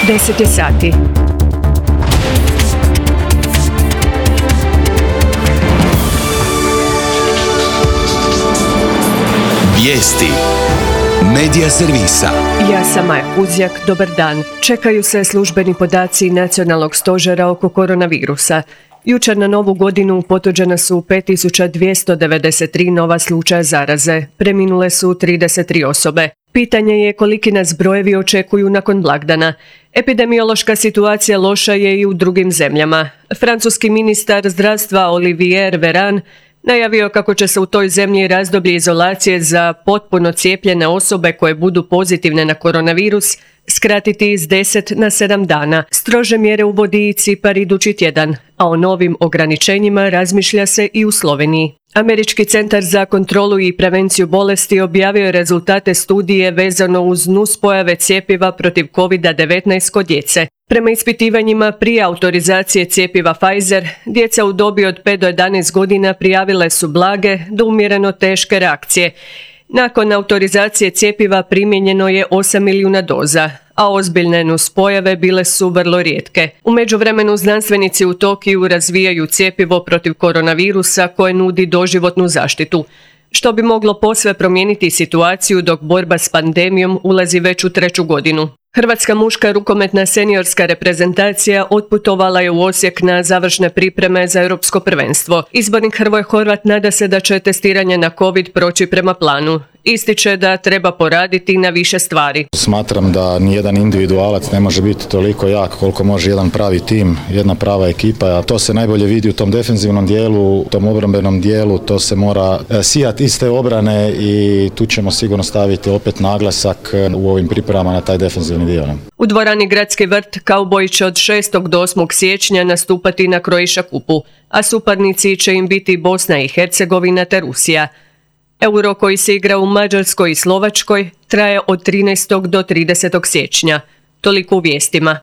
10 je sati. Vijesti Medija servisa. Ja sam Maja Kuzjak, dobar dan. Čekaju se službeni podaci Nacionalnog stožera oko koronavirusa. Jučer na Novu godinu potvrđena su 5293 nova slučaja zaraze. Preminule su 33 osobe. Pitanje je koliki nas brojevi očekuju nakon blagdana. Epidemiološka situacija loša je i u drugim zemljama. Francuski ministar zdravstva Olivier Véran najavio kako će se u toj zemlji razdoblje izolacije za potpuno cijepljene osobe koje budu pozitivne na koronavirus skratiti iz 10 na 7 dana. Strože mjere uvodi i Cipar idući tjedan, a o novim ograničenjima razmišlja se i u Sloveniji. Američki centar za kontrolu i prevenciju bolesti objavio je rezultate studije vezano uz nuspojave cjepiva protiv COVID-19 kod djece. Prema ispitivanjima prije autorizacije cjepiva Pfizer, djeca u dobi od 5 do 11 godina prijavile su blage do umjereno teške reakcije. Nakon autorizacije cjepiva primijenjeno je 8 milijuna doza, a ozbiljne nuspojave bile su vrlo rijetke. U međuvremenu znanstvenici u Tokiju razvijaju cjepivo protiv koronavirusa koje nudi doživotnu zaštitu, što bi moglo posve promijeniti situaciju dok borba s pandemijom ulazi već u 3. godinu. Hrvatska muška rukometna seniorska reprezentacija otputovala je u Osijek na završne pripreme za europsko prvenstvo. Izbornik Hrvoje Horvat nada se da će testiranje na COVID proći prema planu. Ističe da treba poraditi na više stvari. Smatram da nijedan individualac ne može biti toliko jak koliko može jedan pravi tim, jedna prava ekipa, a to se najbolje vidi u tom defenzivnom dijelu, u tom obrambenom dijelu, to se mora sijati iz te obrane i tu ćemo sigurno staviti opet naglasak u ovim pripremama na taj defenzivni dio. U dvorani Gradski vrt Kauboji će od 6. do 8. siječnja nastupati na Croatia kupu, a suparnici će im biti Bosna i Hercegovina te Rusija. Euro koji se igra u Mađarskoj i Slovačkoj traje od 13. do 30. siječnja. Toliko u vijestima.